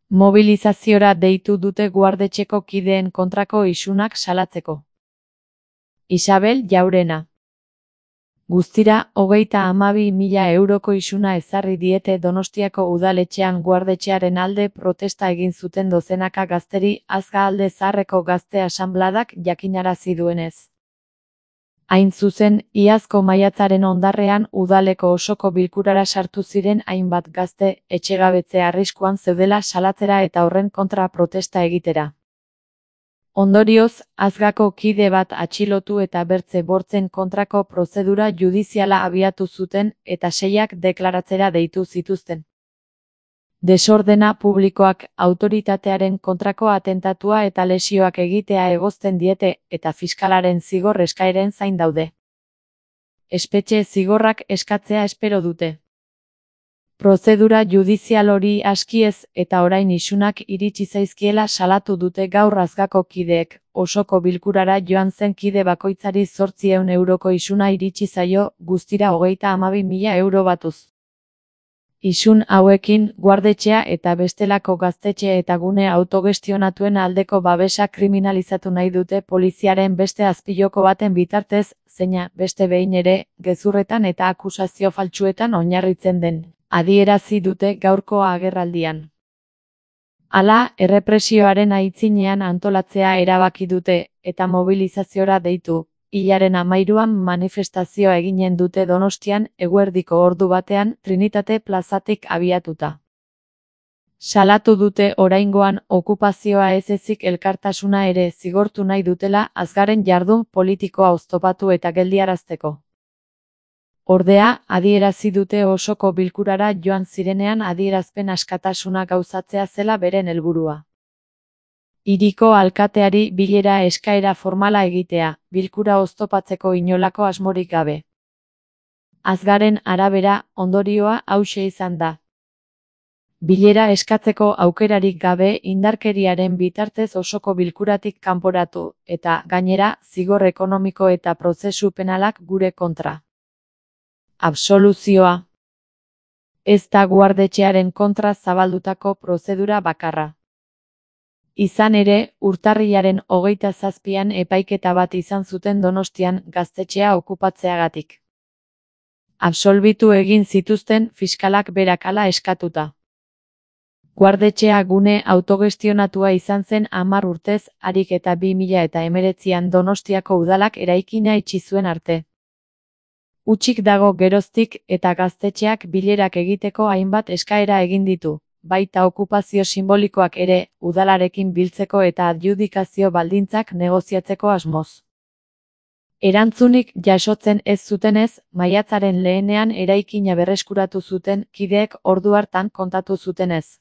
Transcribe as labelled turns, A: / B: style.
A: Mobilizaziora deitu dute guardetxeko kideen kontrako isunak salatzeko. Isabel Jaurena. Guztira, 32.000 euroko isuna ezarri diete Donostiako udaletxean guardetxearen alde protesta egin zuten dozenaka gazteri Azga Alde Zaharreko Gazte Asanbladak jakinarazi duenez. Hain zuzen, iazko maiatzaren ondarrean udaleko osoko bilkurara sartu ziren hainbat gazte etxegabetze arriskuan zeudela salatzera eta horren kontra protesta egitera. Ondorioz, Azgako kide bat atxilotu eta bertze bortzen kontrako prozedura judiziala abiatu zuten eta 6 deklaratzera deitu zituzten. Desordena publikoak, autoritatearen kontrako atentatua eta lesioak egitea egozten diete eta fiskalaren zigor eskaeren zain daude. Espetxe zigorrak eskatzea espero dute. Prozedura judizial hori aski ez eta orain isunak iritsi zaizkiela salatu dute gaur Azgako kideek, osoko bilkurara joan zen kide bakoitzari 800 euroko isuna iritsi zaio, guztira 32.000 euro batuz. Isun hauekin, guardetxea eta bestelako gaztetxe eta gune autogestionatuen aldeko babesa kriminalizatu nahi dute poliziaren beste azpiloko baten bitartez, zeina, beste behin ere, gezurretan eta akusazio faltsuetan oinarritzen den, adierazi dute gaurko agerraldian. Hala, errepresioaren aitzinean antolatzea erabaki dute, eta mobilizaziora deitu. Hilaren 13an manifestazioa eginen dute Donostian eguerdiko ordu batean Trinitate plazatik abiatuta. Salatu dute oraingoan okupazioa ez ezik elkartasuna ere zigortu nahi dutela Azgaren jardun politikoa oztopatu eta geldiarazteko. Ordea, adierazi dute osoko bilkurara joan zirenean adierazpen askatasuna gauzatzea zela beren helburua. Hiriko alkateari bilera eskaera formala egitea, bilkura oztopatzeko inolako asmorik gabe. Azgaren arabera, ondorioa hauxe izan da. Bilera eskatzeko aukerarik gabe indarkeriaren bitartez osoko bilkuratik kanporatu, eta, gainera, zigor ekonomiko eta prozesu penalak gure kontra. Absoluzioa. Ez da guardetxearen kontra zabaldutako prozedura bakarra. Izan ere, urtarrilaren 27an epaiketa bat izan zuten Donostian gaztetxea okupatzeagatik. Absolbitu egin zituzten fiskalak berak hala eskatuta. Guardetxea gune autogestionatua izan zen 10 urtez, harik eta 2019an Donostiako udalak eraikina itxi zuen arte. Hutsik dago geroztik eta gaztetxeak bilerak egiteko hainbat eskaera egin ditu. Baita okupazio simbolikoak ere, udalarekin biltzeko eta adjudikazio baldintzak negoziatzeko asmoz. Erantzunik jasotzen ez zutenez, maiatzaren lehenean eraikina berreskuratu zuten kideek ordu hartan kontatu zutenez.